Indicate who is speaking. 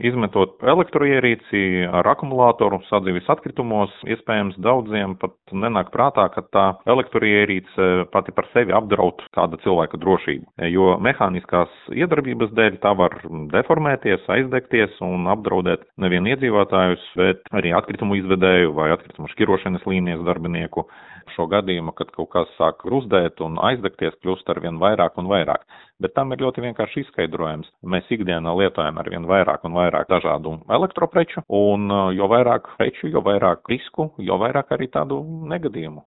Speaker 1: Izmetot elektroierīci ar akumulātoru sadzīves atkritumos, iespējams daudziem pat nenāk prātā, ka tā elektroierīce pati par sevi apdraud kāda cilvēka drošību, jo mehāniskās iedarbības dēļ tā var deformēties, aizdegties un apdraudēt nevien iedzīvotājus, bet arī atkritumu izvedēju vai atkritumu šķirošanas līnijas darbinieku. Šo gadījumu, kad kaut kas sāk gruzdēt un aizdegties, kļūst arvien vairāk un vairāk. Bet tam ir ļoti vienkārši izskaidrojums. Mēs ikdienā lietojam arvien vairāk un vairāk dažādu elektropreču, un jo vairāk preču, jo vairāk risku, jo vairāk arī tādu negadījumu.